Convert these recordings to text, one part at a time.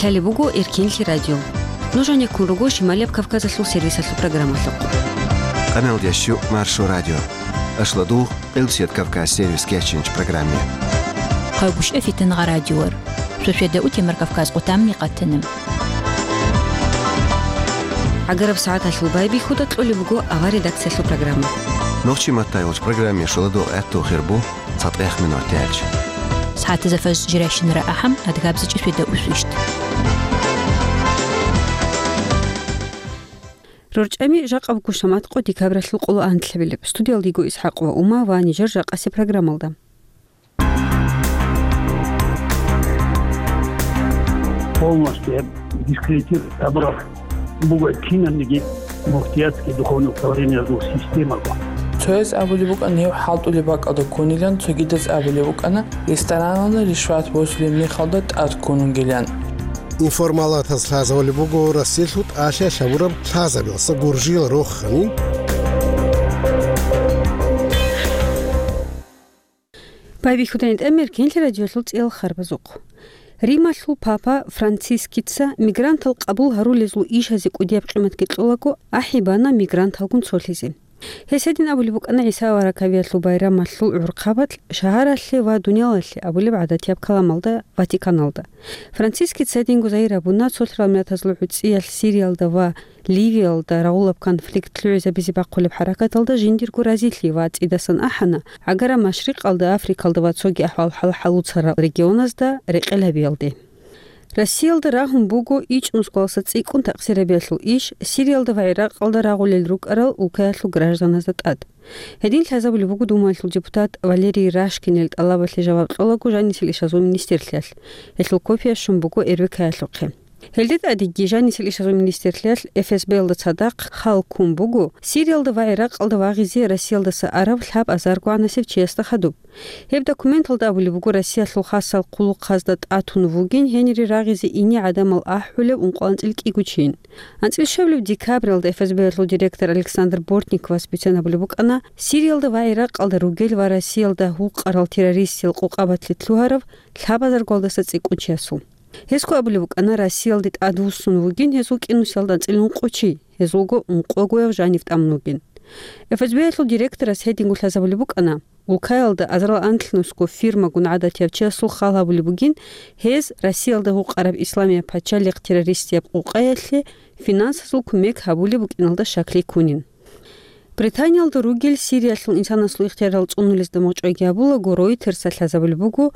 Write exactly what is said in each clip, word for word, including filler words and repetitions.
Лъалеб буго Эркенлъи радио. Нуж гьанеккун руго Шималияб Кавказалъул сервисалъул программалъухъ. Къаналдящу Маршо радио. Ашладугъ, Къилсият Кавказ сервис кечинч программе. Къайгушев Фитангъа радиор. Шошеда утемар Кавказ къутамни къатанам. ГӀагараб сагӀаталъул байбихьуда кьолеб буго авар редакциялъул программа. Нохчи маттай вач программе шоладо гӀатту хирбу. ЦатӀех минуталъ. СагӀатазда фажр жирайщинара ахӀам, адгабзичӀеб шведа усвищт. РорчӀами жакъа буго шамат къо декабралъул къоло анлъабилеб. Студиялда йиго ИсхӀакъ ва Ума ва нижер жакъасе программалда. Полностью дискредитировать абураб буго кинабниги муфтиятский духовный управлениязул системаго. Цояз абулеб букӀана гьев хӀалтӀулеб бакӀалда ккунилан, цогидаз абулеб букӀана, рестораналда ришват босулеб мехалда тӀад ккун вугилан. Информалатаз лъазабулеб буго Россиялъул тӀалъи лъабураб лъазабиялдаса гуржиял рохани. Байбихьуда гьитӀамир Эркенлъи радиолъул цӀиял харбазухъ. Рималъул папа Францискица мигрантал къабул гьарулезул ишазе кӀудияб къиматги кьолаго ахӀи бана мигранталгун цолъизе. Гьес гьедин абулеб букӀана ГӀиса аварагасул байрамалъул гӀурхъабалъ шагьаралъе ва дуниялалъе абулеб гӀадатияб каламалда Ватиканалда. Францискица гьединго загьир гьабуна цолъарал миллатазул гӀуцӀиялъ Сириялда ва Ливиялда рагъулаб конфликт лъугӀизабизе бахъулеб хӀаракаталда жиндирго разилъи ва цӀидасан ахӀана, гӀагараб Машрикъалда, Африкалда ва цоги ахӀвал-хӀал хӀалуцарал регионазда рекъел гьабиялде. Россиялда рагьун буго ичӀнусгоялдаса цӀикӀкӀун такъсирабиялъул иш, Сириялда ва ГӀиракъалда рагъулел рукӀарал улкаялъул гражданазда тӀад. Гьедин лъазабулеб буго Думаялъул депутат Валерий Рашкинил тӀалабалъе жаваб кьолаго жанисел ишазул министрлъиялъ. Гьелъул копия щун буго РБК-ялъухъе. Гьелде тӀадеги жанисел ишазул министрлъиялъ ФСБ-ялда цадахъ хал ккун буго Сириялда ва ГӀиракъалда вагъизе Россиялдаса араб лъабазаргогӀанасев чиясда хадуб. Гьеб документалда абулеб буго Россиялъул хасал хъулухъазда тӀатун вугин гьенире рагъизе ине гӀадамал ахӀулев ункъо анцӀил кӀиго чийин. АнцӀил щвабилеб декабралда ФСБ-ялъул директор Александр Бортниковас бицен абулеб букӀана Сириялда ва ГӀиракъалда ругел ва Россиялда гьукъарал террористиял къокъабалъе лъугьарав лъабазаргоялдаса цӀикӀкӀун чиясул. Гьесго абулеб букӀана, Россиялде тӀадвуссун вугин гьезул кӀинусиялда анцӀила ункъо чи, гьезулго ункъогояв жанив тӀамун вугин. ФСБ-ялъул директорас гьединго лъазабулеб букӀана, улкаялда азарал анлънусго фирмагун гӀадатияб чиясул хал гьабулеб бугин, гьез Россиялда гьукъараб Исламияб пачалихъ террористияб къокъаялъе финансазул кумек гьабулеб букӀиналда щаклъи ккунин. Британиялда ругел Сириялъул инсанасул ихтиярал цӀунулезда мугъчӀвайги гьабулаго, Ройтерса лъазабулеб буго,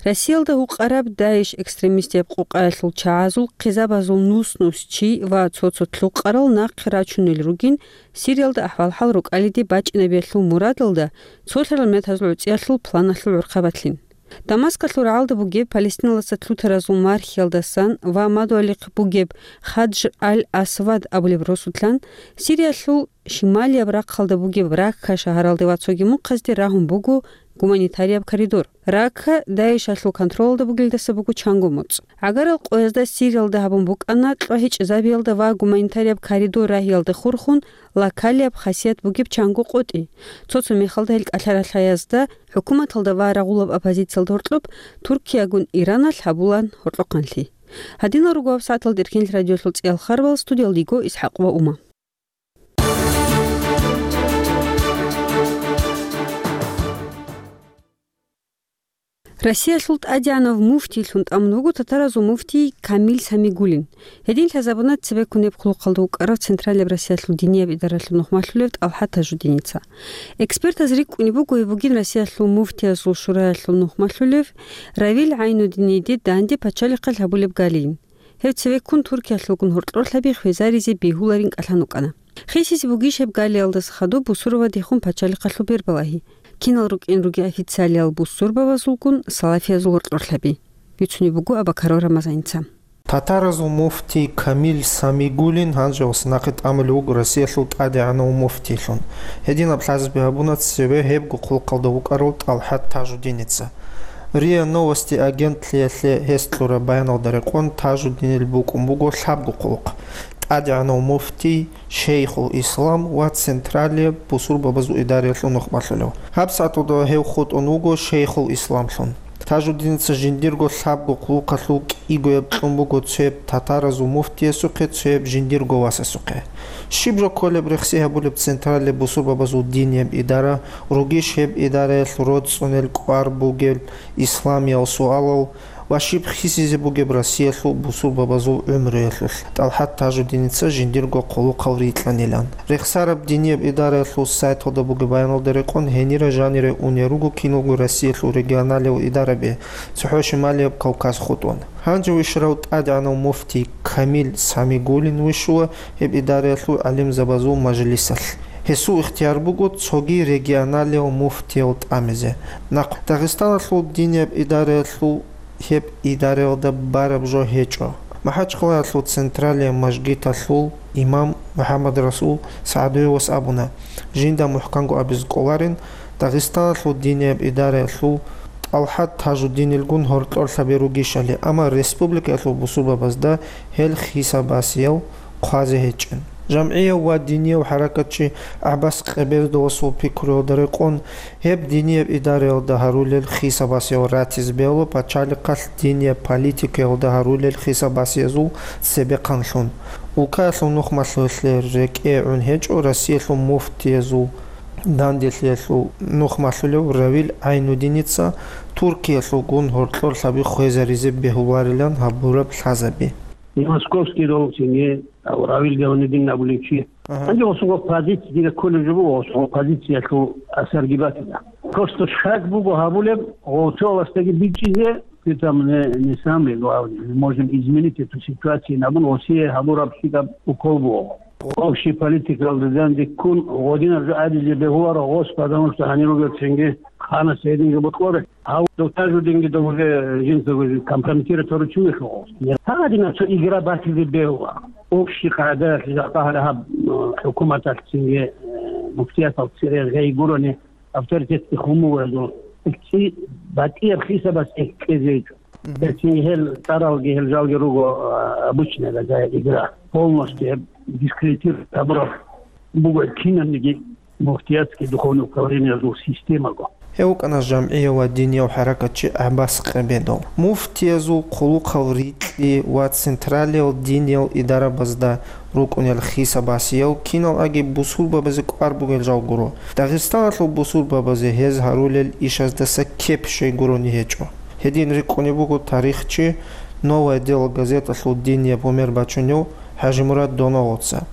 Россиялда гьукъараб ДАИШ экстремистияб къокъаялъул чагӀазул хъизабазул нус-нус чи ва цо-цо лъукъарал нахъе рачунел ругин Сириялда ахӀвал-хӀал рукӀалиде бачӀинабиялъул мурадалда цолъарал миллатазул гӀуцӀиялъул планалъул гӀурхъабалъин. Дамаскалъул рагӀалда бугеб Палестиналдаса лъутаразул мархиялдасан ва мадугьалихъ бугеб Хадж аль-Асвад абулеб росулъан Сириялъул шималияб рахъалда бугеб Ракка шагьаралде ва цоги мухъазде рагьун буго гуманитарияб коридор. Ракка ДАИШалъул контролалда бугелдаса буго чанго моцӀ. ГӀагарал къоязда Сириялда гьабун букӀана кьвагьичӀезабиялда ва гуманитарияб коридор рагьиялда хурхун локалияб хасият бугеб чанго къотӀи. Цо-цо мехалда гьел кӀалъа-ралъаязда, хӀукуматалда ва рагъулаб оппозициялда гьоркьоб, Туркиягун Ираналъ гьабулаан гьоркьохъанлъи. Гьадинал руго гьабсагӀаталда Эркенлъи радиолъул цӀиял харбал, студиялда йиго ИсхӀакъ ва Ума. Россиялъул тӀадегӀанав муфтийлъун тӀамун вуго татаразул муфтий Камил Самигуллин. Гьедин лъазабуна цебеккун гьеб хъулухъалда вукӀарав Централияб Россиялъул динияб идаралъул нухмалъулев ТӀалхӀат Тажудиница. Экспертаз рикӀкӀунеб буго гьеб бугин Россиялъул муфтиязул шураялъул нухмалъулев Равил ГӀайнудиниде данде пачалихъалъ гьабулеб галийин. Гьев цевеккун Туркиялъулгун гьоркьорлъаби хвезаризе бегьуларин кӀалъан вукӀана. Хисизе бугищ гьеб галиялдаса хадуб бусурбабадехун пачалихъалъул бербалагьи? Кинал рукӀин ругел официалиял бусурбабазулгун салафиязул гьоркьорлъаби? Бицунеб буго Абакаров Рамазаница. Татаразул муфтий Камил Самигуллин гьанже ва нахъе тӀамулев вуго Россиялъул тӀадегӀанав муфтийлъун. Гьединаб лъазаби гьабуна цеве гьебго хъулухъалда вукӀарав ТӀалхӀат Тажудиница. РИА Новости агентлъиялъе гьес кьураб баяналда рекъон, Тажудинил букӀун буго лъабго хъулухъ: тӀадегӀанав муфтий, шейхул ислам ва централияб бусурбабазул идараялъул нухмалъулев. ГьабсагӀаталда гьев хутӀун вуго шейхул исламлъун. Тажуддиница жиндирго лъабго хъулухъалъул кӀигояб кьун буго цояб татаразул муфтиясухъе, цояб жиндирго васасухъе. Щиб жо кколеб рехси гьабулеб централияб бусурбабазул динияб идара, ругищ гьеб идараялъ роцӀцӀунел кӀвар бугел исламиял суалал ва щиб хисизе бугеб Россиялъул бусурбабазул гӀумруялъулъ? ТӀалхӀат Тажуддиница жиндирго хъулухъал рикьанилан. Рехсараб динияб идараялъул сайталда бугеб баяналда рекъон, гьенире-жанире унел руго киналго Россиялъул регионалиял идараби, цохӀо Шималияб Кавказ хутӀун. Гьанже вищарав тӀадегӀанав муфтий Камил Самигуллин вищула гьеб идараялъул гӀалимзабазул мажлисалъ. Гьесул ихтияр буго цоги регионалиял муфтиял тӀамизе. Нахъ Дагъистаналъул динияб идараялъул гьеб идараялда бараб жо гьечӀо. МахӀачхъалаялъул централияб мажгиталъул имам МухӀаммадрасул СагӀдуевас абуна, жинда мухӀканго абизе кӀоларин, Дагъистаналъул динияб идараялъул ТӀалхӀат Тажуддинилгун гьоркьорлъаби ругищали, амма республикаялъул бусурбабазда гьел хисабасиял хъвазе гьечӀин. ЖамгӀияв ва динияв хӀаракатчи ГӀаббас Къебедовасул пикруялда рекъон, гьеб динияб идараялда гьарулел хисабасиял ратизе бегьула пачалихъалъ динияб политикаялда гьарулел хисабасиязул цебехъанлъун. Улкаялъул нухмалъулъе рекӀее гӀун гьечӀо Россиялъул муфтиязул данделъиялъул нухмалъулев Равил ГӀайнудиница Туркиялъулгун гьоркьорлъаби хвезаризе бегьуларилан гьабураб лъазаби. И московский доллар цинги, а, Равил Гавнидин абулев чи. Ага. Гьанже гъосул позиция дида кколеб жо буго, гъосул позициялъул асарги батила. Просто шаг буго гьабулеб, гъо-, цо властаги бичӀчӀизе, ты там не, не самый главный, мы можем изменить эту ситуацию, абун гъосие гьабураб щибаб укол буго. Общий политикалда данде ккун, гъодинаб жо абизе бегьуларо гъос, потому что гьанир ругел цинги ханас гьединги бокьоре. Гьав Тажуддинги дов уже жинца уже компрометировать гьаручи вихьугъ. Гьадинаб цо игра батизе бегьула. Общий къагӀидаялъ жакъа гьаб, э, хӀукуматалъ цинги, э, муфтиятал цере гъей гурони авторитетги хумугӀезул. Ци батӀияб хисабас эккезе гьечӀо. Мгм. Гьел цинги гьел цӀаралги гьел жалги руго, э, обычная такая игра. Полностью гьеб дискредитировать гьабураб буго кинабниги муфтиятский духовный управлениязул системаго. Гьев вукӀана жамгӀияв ва динияв хӀаракатчи ГӀаббас Къебедов. Муфтиязул хъулухъал рикьи ва централиял диниял идарабазда рукӀунел хисабасиял киналги бусурбабазе кӀвар бугел жал гуро. Дагъистаналъул бусурбабазе гьез гьарулел ишаздаса кеп щвей гурони гьечӀо. Гьедин рикӀкӀунеб буго тарихчи «Новое дело» газеталъул динияб гьумер бачунев ХӀажимурад Доногъоца.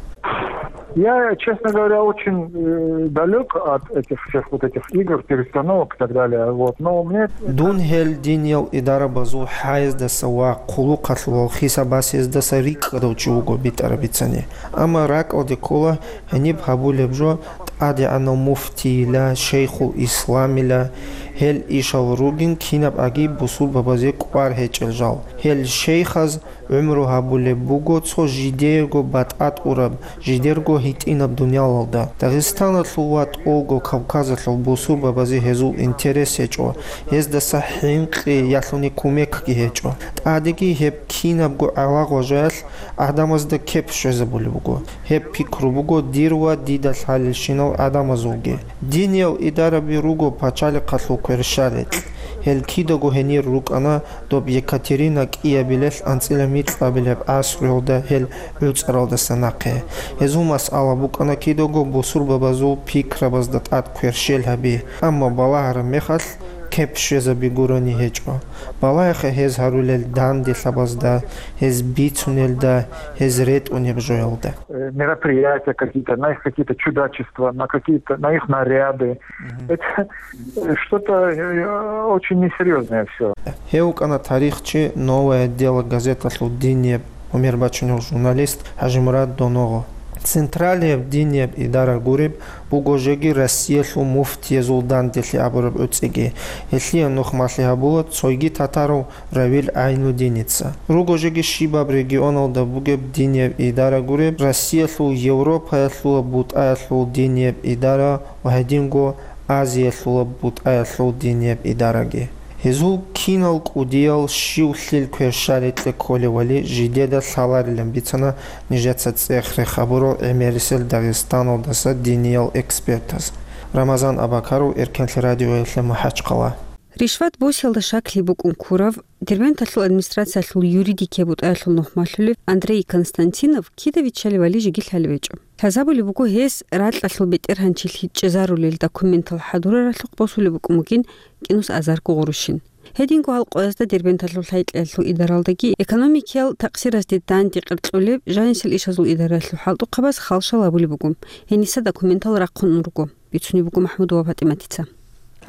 Я, честно говоря, очень, э, далёк от этих всех вот этих игр, перестановок и так далее. Вот. Но мне Дун гьел диниял идарабазул хӀаяздаса ва хъулухъалъулал хисабасияздаса рикӀкӀадав чи вуго битӀараб бицани. Амма ракӀалде ккола гьениб гьабулеб жо тӀадегӀанав муфтийила, шейхул исламила, гьел ишал ругин кинаб аги бусурбабазе кӀвар гьечӀел жал. Гьел шейхаз гӀумру гьабулеб буго цо жидеего батӀа-тӀураб, жидерго гьитӀинаб дуниялалда. Дагъистаналъул ва тӀолго Кавказалъул бусурбабазе гьезул интерес гьечӀо, гьездаса хӀинкъи ялъуни кумекги гьечӀо. ТӀадеги гьеб кинабго гӀалагъважаялъ гӀадамазда кеп щвезабулеб буго. Гьеб пикру буго дир ва дида лъалелщинал гӀадамазулги. Диниял идараби руго пачалихъалъул кверщаликь. Гьел кидаго гьенир рукӀана доб Екатерина кӀиабилелъ анцӀила микьабилеб гӀасруялда гьел гӀуцӀаралдаса нахъе. Гьезул масъала букӀана кидаго бусурбабазул пикрабазда тӀад кверщел гьаби, амма балагьараб мехалъ кеп щвезаби гурони гьечӀо. Балагьеха гьез гьарулел данделъабазда, гьез бицунелда, гьез ретӀунеб жоялда. Э, мероприятия какие-то, на их какие-то чудачества, на какие-то, на их наряды. Мгм. Это, э, что-то, э, очень несерьёзное всё. Гьев вукӀана тарихчи «Новое дело» газеталъул динияб гьумер бачунев журналист ХӀажимурад Доногъо. Централияб динияб идара гуреб буго жеги Россиялъул муфтиязул данделъи абураб гӀуцӀиги. Гьелъие нухмалъи гьабула цойги татарав Равил ГӀайнудиница. Руго жеги щибаб регионалда бугеб динияб идара гуреб, Россиялъул Европаялъула бутӀаялъул динияб идара ва гьединго Азиялъула бутӀаялъул динияб идараги. Гьезул кинал кӀудиял щив лъил кверщаликье кколевали жидеда лъаларилан бицана нижеца цӀех-рех гьабурал гӀемерисел Дагъистаналдаса диниял экспертаз. Рамазан Абакаров, Эркенлъи радиоялъе МахӀачхъала. Ришват босиялда щаклъи букӀун ккурав, Дербенталъул администрациялъул юридикияй бутӀаялъул нухмалъулев Андрей Константинов кида виччалевали жеги лъалеб гьечӀо. Лъазабулеб буго гьес ракьалъул бетӀергьанчилъи чӀезарулел документал хӀадураралъухъ босулеб букӀун бугин кӀинус азарго гъурущин. Гьединго гьал къоязда Дербенталъул лъай-кьеялъул идаралдаги экономикиял такъсиразде данде къеркьулеб жанисел ишазул идараялъул хӀалтӀухъабаз халшал гьабулеб буго. Гьениса документал рахъун руго, бицунеб буго МахӀмудова ПатӀиматица.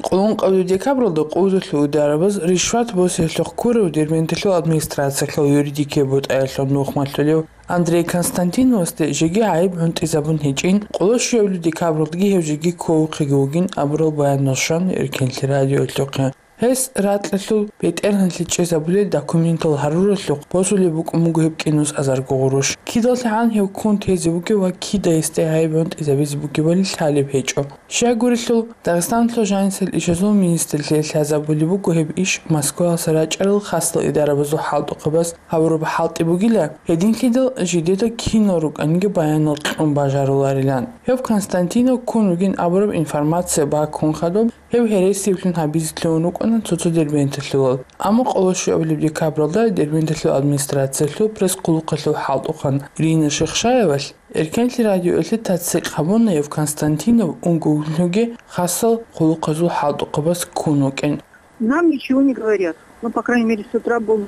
Къуллун къабулеб декабралда къузалъул идарабаз ришват босиялъухъ ккурав Дербенталъул администрациялъул юридикияй бутӀаялъул нухмалъулев Андрей Константиновасде жеги гӀайиб гӀунтӀизабун гьечӀин, къоло щуябилеб декабралдаги гьев жеги кколухъеги вугин абурал баянал щван Эркенлъи радиоялъухъе. Гьес ракьалъул бетӀергьанлъи чӀезабулел документал гьаруралъухъ босулеб букӀун буго гьеб кӀинус азарго гъурущ. КидалъагӀан гьев ккун тезе бугеб ва кида гьесде гӀайиб гӀунтӀизабизе бугебали лъалеб гьечӀо. Щайгурелъул, Дагъистаналъул жанисел ишазул министрлъиялъ лъазабулеб буго гьеб иш Москваялъа рачӀарал хасал идарабазул хӀалтӀухъабаз гьабураб хӀалтӀи бугила, гьединлъидал жидеда кинал рукӀаниги баянал кьун бажаруларилан. Гьев Константинов ккун вугин абураб информация баккун хадуб, гьев гьересиблъун гьабизе лъугьун рукӀана цо-цо дербенталъулал. Амма къоло щуабилеб декабралда Дербенталъул администрациялъул пресс-хъулухъалъул хӀалтӀухъан Рина Шихшаевалъ Эркенлъи радиоялъе тасдикъ гьабуна гьев Константинов унгоглъуги хасал хъулухъазул хӀалтӀухъабаз ккун вукӀин. Нам ничего не говорят. Ну, по крайней мере, с утра был.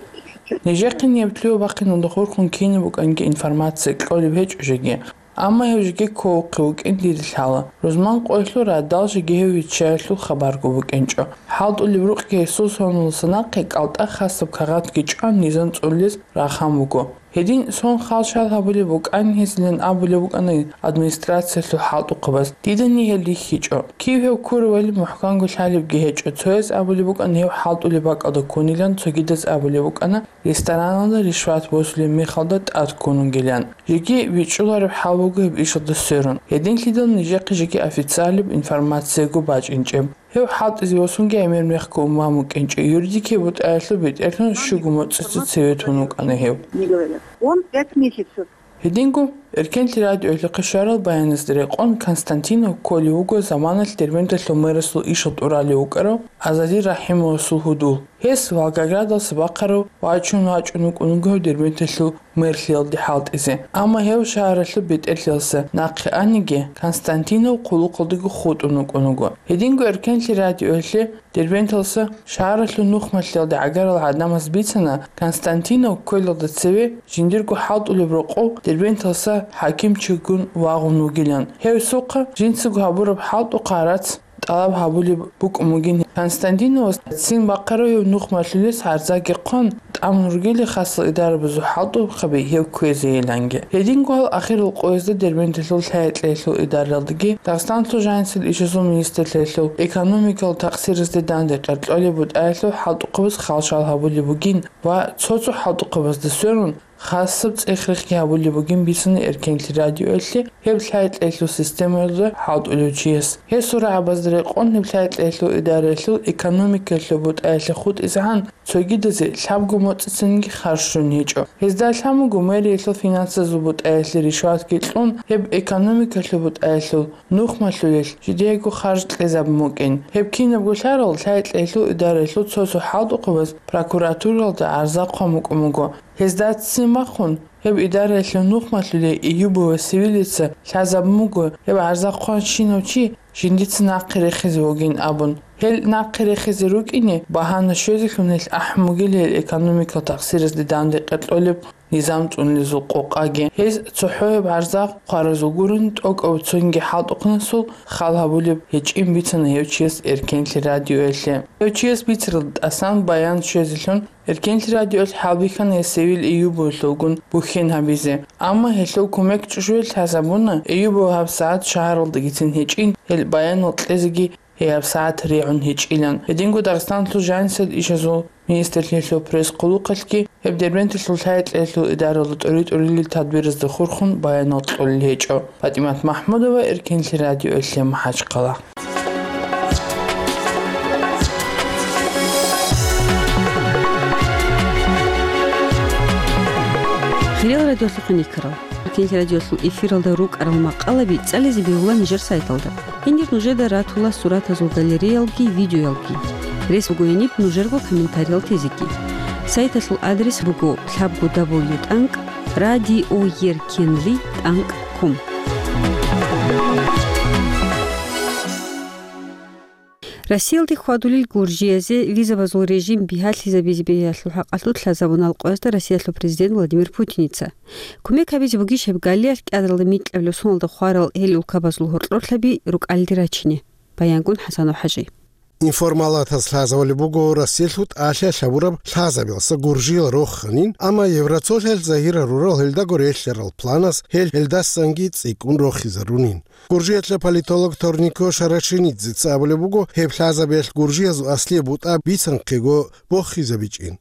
Нижехъе неб лъугьа-бахъиналда хурхун кинаб букӀанги информация кьолеб гьечӀо жеги. Амма гьев жеги кколухъе вукӀин дида лъала. Рузман къоялъул радал жеги гьев виччаялъул хабарго букӀинчӀо. ХӀалтӀулеб рукъги гьесул соналдаса нахъе кӀалтӀа хасаб кагъатги чӀван низам цӀулулез рахъан буго. Гьедин сон халшал гьабулеб букӀан гьезилан абулеб букӀана администрациялъул хӀалтӀухъабаз. Дидани гьел рихьичӀо. Кив гьев ккуревали мухӀканго лъалебги гьечӀо. Цояз абулеб букӀана гьев хӀалтӀулеб бакӀалда ккунилан, цогидаз абулеб букӀана рестораналда ришват босулеб мехалда тӀад ккун вугилан. Жеги бичӀчӀулареб хӀал буго гьеб ишалда сверун. Гьединлъидал нижехъе жеги официалияб информацияго бачӀинчӀеб. Гьев хӀалтӀизе босунги гӀемер мехго умуман вукӀинчӀо, юридикияй бутӀаялъул бетӀерлъун щуго моцӀица цеве тун вукӀана гьев. Не говорят. Он пять месяцев. Гьединго, Эркенлъи радиоялъухъе щварал баяназда рекъон, Константинов кколев вуго заманалъ Дербенталъул мэрасул ишал тӀуралев вукӀарав Азади РахӀимовасул гьудул. Гьес Волгоградалъа бахъарав вачун вачӀун вукӀун вуго Дербенталъул мэрлъиялде хӀалтӀизе. Амма гьев шагьаралъул бетӀерлъиялдаса нахъе аниги, Константинов хъулухъалдаго хутӀун вукӀун вуго. Гьединго Эркенлъи радиоялъе Дербенталъа шагьаралъул нухмалъиялда гӀагарал гӀадамаз бицана, Константинов кколелда цеве жиндирго хӀалтӀулеб рокъов Дербенталъа хӀакимчигун вагъун вугилан. Гьев сухъа жинцаго гьабураб хӀалтӀухъ гьарац тӀалаб гьабулеб букӀун бугин. Константиновас цин бахъарав гьев нухмалъулес гӀарзаги хъван, тӀамун ругели хасал идарабазул хӀалтӀухъаби гьев кквезейиланги. Гьединго гьал ахирал къоязда Дербенталъул лъай-кьеялъул идаралдаги, Дагъистаналъул жанисел ишазул министрлъиялъул экономикал такъсиразде данде къеркьолеб бутӀаялъул хӀалтӀухъабаз халшал гьабулеб бугин ва цо-цо хӀалтӀухъабазда сверун, хасаб цӀех-рехги гьабулеб бугин бицана Эркенлъи радиоялъе гьеб лъай-кьеялъул системаялда хӀалтӀулев чияс. Гьесул рагӀабазда рекъон гьеб лъай-кьеялъул идараялъул экономикаялъул бутӀаялъе хутӀизегӀан цогидазе лъабго моцӀицинги харж щун гьечӀо. Гьезда лъан буго мэриялъул финансазул бутӀаялъе ришватги кьун, гьеб экономикалъул бутӀаялъул нухмалъулел жидеего харж кьезабун букӀин. Гьеб кинабго лъарал лъай-кьеялъул идараялъул цо-цо хӀалтӀухъабаз прокуратуралда гӀарза хъван букӀун буго. Гьезда ццин бахъун, гьеб идараялъул нухмалъулей Эюбова Севилица лъазабун буго, гьеб гӀарза хъван щинав чи жиндица нахъе рехизе вугин абун. Гьел нахъе рехизе рукӀине багьана щвезелъун гьел ахӀун бугила гьел экономикал такъсиразде данде къеркьолеб низам цӀунулезул къокъаги. Гьез цохӀо гьеб гӀарза хъваразул гурин тӀокӀав цониги хӀалтӀухъанасул хал гьабулеб гьечӀин бицана гьев чияс Эркенлъи радиоялъе. Гьев чияс бицаралда тӀасан баян щвезелъун Эркенлъи радиоялъ хӀалбихьана гьес Севил Эюбовалъулгун бухьен гьабизе. Амма гьелъул кумек чӀужуялъ лъазабуна, Эюбов гьабсагӀат шагьаралдагицин гьечӀин, гьел баянал кьезеги гьей гьабсагӀат регӀун гьечӀилан. Гьединго Дагъистаналъул жанисел ишазул министрлъиялъул пресс-хъулухъалъги гьеб Дербенталъул лъай-кьеялъул идаралда тӀури-тӀурилел тадбиразда хурхун баянал кьолел гьечӀо. ПатӀимат МахӀмудова, Эркенлъи радиоялъе, МахӀачхъала. Хириял радиолъухъ никарал. Эркенлъи радиолъул эфиралда рукӀарал макъалаби цӀализе бегьула нижер сайталда. Гьенир нужеда ратула суратазул галереялги, видеоялги. Рес буго гьениб нужерго комментариялъ тезеги. Сайталъул адрес буго лъабго дабл ю тӀанкӀ радиоеркенлъи тӀанкӀ ком. Россиялде хьвадулел гуржиязе визабазул режим бигьалъизабизе бегьиялъул хӀакъалъулъ лъазабуна къоязда Россиялъул президент Владимир Путиница. Кумек гьабизе бугищ гьеб галиялъ кӀиабилеб микьабилеб соналда хварал гьел улкабазул гьоркьорлъаби рукӀалде рачине? Баянгун ХӀасанов ХӀажи. Информалатас лъазабулеб буго Россиялъул тӀалъиялъ гьабураб лъазабиялдаса гуржиял роханин, амма Евросоюзалъ загьир гьарурал гьелдаго релълъарал планас гьел гьелдасанги цӀикӀкӀун рохизарунин. Гуржиялъул политолог Торнико Шарашинидзеца абулеб буго, гьеб лъазабиялъ гуржиязул аслияб бутӀа бицанхъего бохизабичӀин.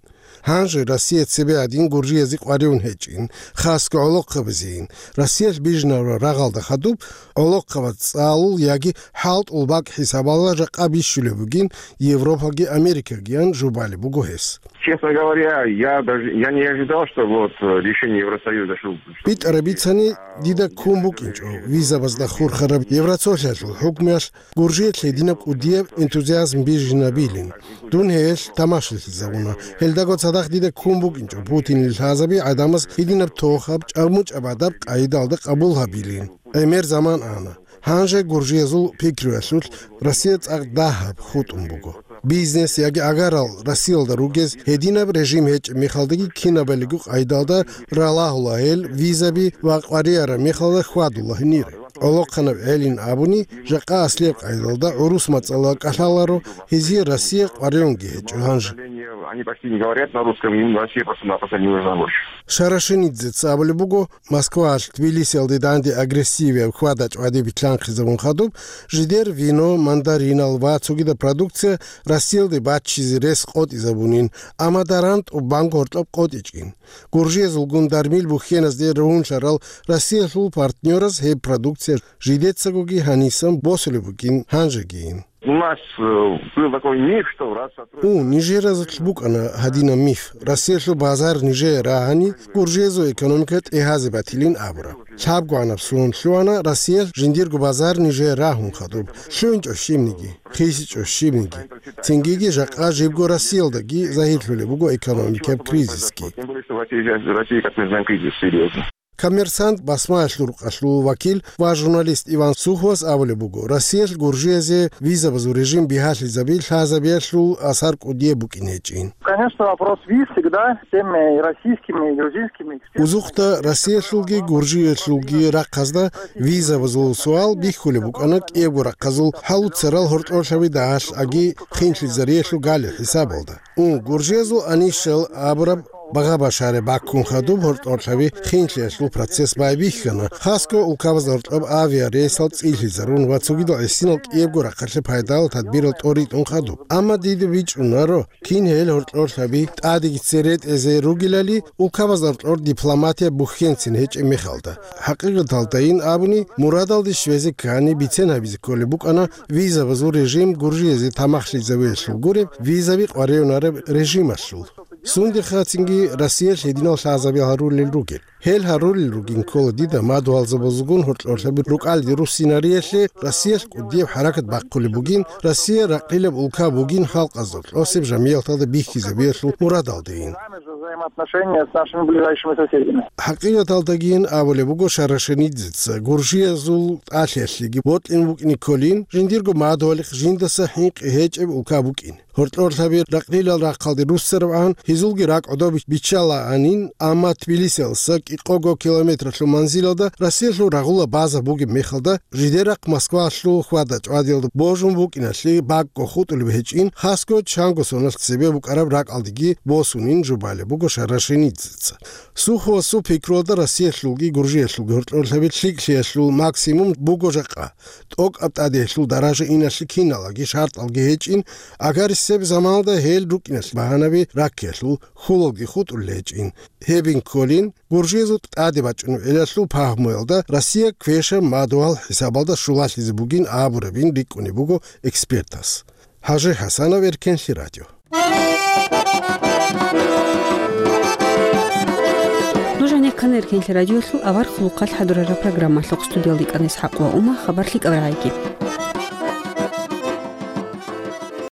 Гьанже Россия цебе гьадин гуржиязе къваригӀун гьечӀин, хасго гӀолохъабазейин. Россиялъ бижинараб рагъалда хадуб гӀолохъабаз цӀалул яги хӀалтӀул бакӀ хӀисабалда жакъа бищулеб бугин Европаги Америкагиян жубалеб буго гьес. Честно говоря, я даже, я не ожидал, что вот, э, решение Евросоюза, что... БитӀараб бицани, дида ккун букӀинчӀо визабазда хурхараб Евросоюзалъул хӀукмуялъ гуржиялъ гьединаб кӀудияб энтузиазм бижинабилин. Дун гьелъ тамашалъизабуна. Гьелдаго цадахъ дида ккун букӀинчӀо Путинил лъазаби гӀадамаз гьединаб тохаб, чӀамучӀаб адаб къайдалда къабул гьабилин. ГӀемер заман ана. Гьанже гуржиязул пикруялъулъ Россия цӀакъ дагьаб хутӀун буго. Бизнес яги агарал Россиялда ругез гьединаб режим гьечӀеб мехалдаги кинабалиго къайдалда ралагьула гьел визаби ва къваригӀараб мехалда хьвадула гьенире. ГӀолохъанаб гӀелин абуни, жакъа аслияб къайдалда гӀурус мацӀалда кӀалъаларо, гьезие Россия къваригӀунги гьечӀо гьанже. Они почти не говорят на русском, им вообще просто-напросто не нужна помощь. Шарашинидзеца абулеб буго, Москваялъ Тбилисиялде данде агрессивияб хьвада-чӀвади битлъанхъизабун хадуб, жидер вино, мандаринал ва цогидаб продукция Россиялде баччизе рес къотӀизабунин, амма даран тӀубанго гьоркьоб къотӀичӀин. Гуржиязулгун дармил бухьеназде ругьунлъарал Россиялъул партнераз гьеб продукция жидецагоги гьанисан босулеб бугин гьанжегийин. У нас, э, был такой миф, что раз сотрудничество... У, нижеразулъ букӀана гьадинаб миф. Россиялъул базар нижее рагьани, гуржиязул экономика тӀегьазе батилин абураб. ЛъабгӀанаб сон лъугьана Россиялъ жиндирго базар нижее рагьун хадуб. ЛъугӀинчӀо щибниги, хисичӀо щибниги. Цингиги жакъа жибго Россиялдаги загьирлъулеб буго экономикаб кризисги. Тем более, что в России, в России, как мы знаем, кризис серьёзный. Коммерсант басмаялъул рукъалъул вакил ва журналист Иван Суховас абулеб буго, Россиялъ гуржиязе визабазул режим бигьалъизаби лъазабиялъул асар кӀудияб букӀин гьечӀин. Конечно, вопрос виз всегда всеми российскими и грузинскими экспертами. Узухъда Россиялъулги гуржиялъулги рахъазда визабазул суал бихьулеб букӀана кӀиябго рахъазул хӀалуцарал гьоркьорлъаби дагьалъаги хинлъизариялъул гали хӀисабалда. Ун гуржиязул анищал абураб багъа-башаре баккун хадуб гьоркьорлъаби хинлъиялъул процесс байбихьана, хасго улкабазда гьоркьоб авиарейсал цӀилъизарун ва цогидал гӀисинал кӀиябго рахъалъе пайдалал тадбирал тӀоритӀун хадуб. Амма дида бичӀчӀунаро, кин гьел гьоркьорлъаби тӀадеги цере тӀезе ругелали, улкабазда гьоркьор дипломатия бухьенцин гьечӀеб мехалда. ХӀакъикъаталдайин абуни, мурадалде щвезе ккани бицен гьабизе кколеб букӀана визабазул режим гуржиязе тамахлъизавиялъул гуреб визаби къваригӀунареб режималъул. Сундехъацинги Россиялъ гьединал лъазаби гьарулел ругел. Гьел гьарулел ругин ккола дида мадугьалзабазулгун гьоркьорлъаби рукӀалде руссинариялъе Россиялъ кӀудияб хӀаракат бахъулеб бугин, Россия ракъилаб улка бугин халкъазда кьосеб жамияталда бихьизабиялъул мурадалдейин. Взаимоотношения с нашими ближайшими соседями. ХӀакъикъаталдагийин абулеб буго Шарашинидзеца, гуржиязул тӀалъиялъеги бокьун букӀине кколин, жиндирго мадугьалихъ жиндаса хӀинкъи гьечӀеб улка букӀин. Гьоркьорлъаби ракъилал рахъалде руссарабгӀан, гьезулги ракӀ гӀодобе биччалаанин, амма Тбилисиялдаса кӀикъого километралъул манзилалда Россиялъул рагъула база бугеб мехалда, жидер рахъ Москвалъул хьвада-чӀвадиялда божун букӀиналъе бакӀго хутӀулеб гьечӀин, хасго чанго соналъ цебе букӀараб ракӀалдеги босунин жубалеб буго Шарашинидзеца. Суховасул пикруялда Россиялъулги Гуржиялъулги гьоркьорлъаби лъикӀлъиялъул максимум буго жакъа. ТӀокӀаб тӀадегӀлъул даража иналъе киналги шартӀалги гьечӀин, агарисеб заманалда гьел рукӀиналъ багьанаби раккиялъул хьулалги хутӀулел гьечӀин. Гьебин кколин, гуржиязул тӀаде бачӀунеб гӀелалъул пагьмуялда Россия квешаб мадугьал хӀисабалда щулалъизе бугин абурабин рикӀкӀунеб буго экспертас. ХӀажи ХӀасанов, Эркенлъи радио. Нуж гьанир ккана Эркенлъи радиолъул авар хъулухъалъ хӀадурараб программалъухъ. Студиялда йикӀана ИсхӀакъ ва Ума. Хабар лъикӀал рагӀайги.